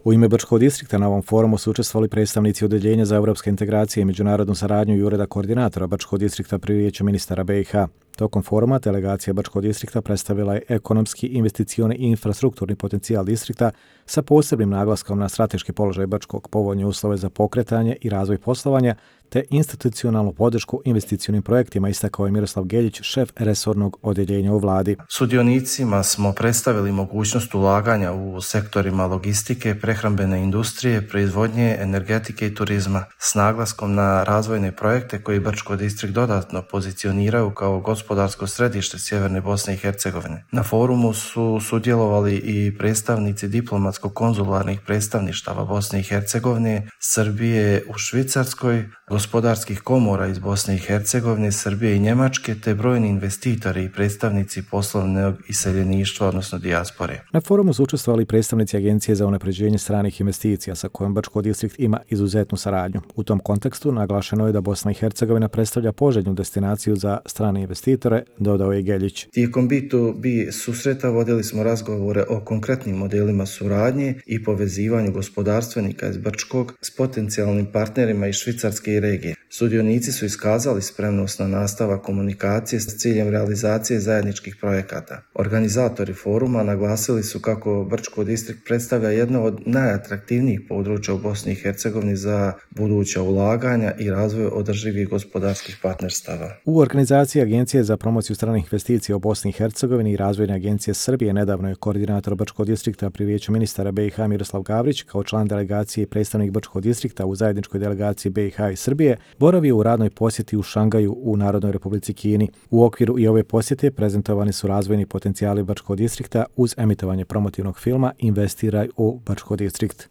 U ime Brčkog distrikta na ovom forumu su učestvovali predstavnici Odeljenja za europske integracije i međunarodnu saradnju i Ureda koordinatora Brčkog distrikta pri Vijeću ministara BiH. Tokom foruma delegacija Brčkog distrikta predstavila je ekonomski, investicioni i infrastrukturni potencijal distrikta sa posebnim naglaskom na strateški položaj Brčkog, povoljne uslove za pokretanje i razvoj poslovanja te institucionalnu podršku investicionim projektima, istakao je Miroslav Geljić, šef resornog odjeljenja u vladi. Sudionicima smo predstavili mogućnost ulaganja u sektorima logistike, prehrambene industrije, proizvodnje, energetike i turizma s naglaskom na razvojne projekte koji Brčko distrikt dodatno pozicioniraju kao gospodarsko središte sjeverne Bosne i Hercegovine. Na forumu su sudjelovali i predstavnici diplomatsko-konzularnih predstavništava Bosne i Hercegovine, Srbije u Švicarskoj, gospodarskih komora iz Bosne i Hercegovine, Srbije i Njemačke, te brojni investitori i predstavnici poslovnog iseljeništva, odnosno dijaspore. Na forumu su učestvovali predstavnici Agencije za unapređenje stranih investicija sa kojom Brčko distrikt ima izuzetnu saradnju. U tom kontekstu naglašeno je da Bosna i Hercegovina predstavlja poželjnu destinaciju za strane investitore, dodao je Geljić. Tijekom B2B susreta vodili smo razgovore o konkretnim modelima suradnje i povezivanju gospodarstvenika iz Brčkog s potencijalnim partnerima iz Švicarske i regije. Sudionici su iskazali spremnost na nastavak komunikacije s ciljem realizacije zajedničkih projekata. Organizatori foruma naglasili su kako Brčko distrikt predstavlja jedno od najatraktivnijih područja u Bosni i Hercegovini za buduća ulaganja i razvoj održivih gospodarskih partnerstava. U organizaciji Agencije za promociju stranih investicija u Bosni i Hercegovini i Razvojne agencije Srbije nedavno je koordinator Brčkog distrikta pri Vijeću ministara BiH Miroslav Gavrić kao član delegacije i predstavnik Brčkog distrikta u zajedničkoj delegaciji BiH i Srbije boravio u radnoj posjeti u Šangaju u Narodnoj Republici Kini. U okviru i ove posjete prezentovani su razvojni potencijali Brčkog distrikta uz emitovanje promotivnog filma Investiraj u Brčko distrikt.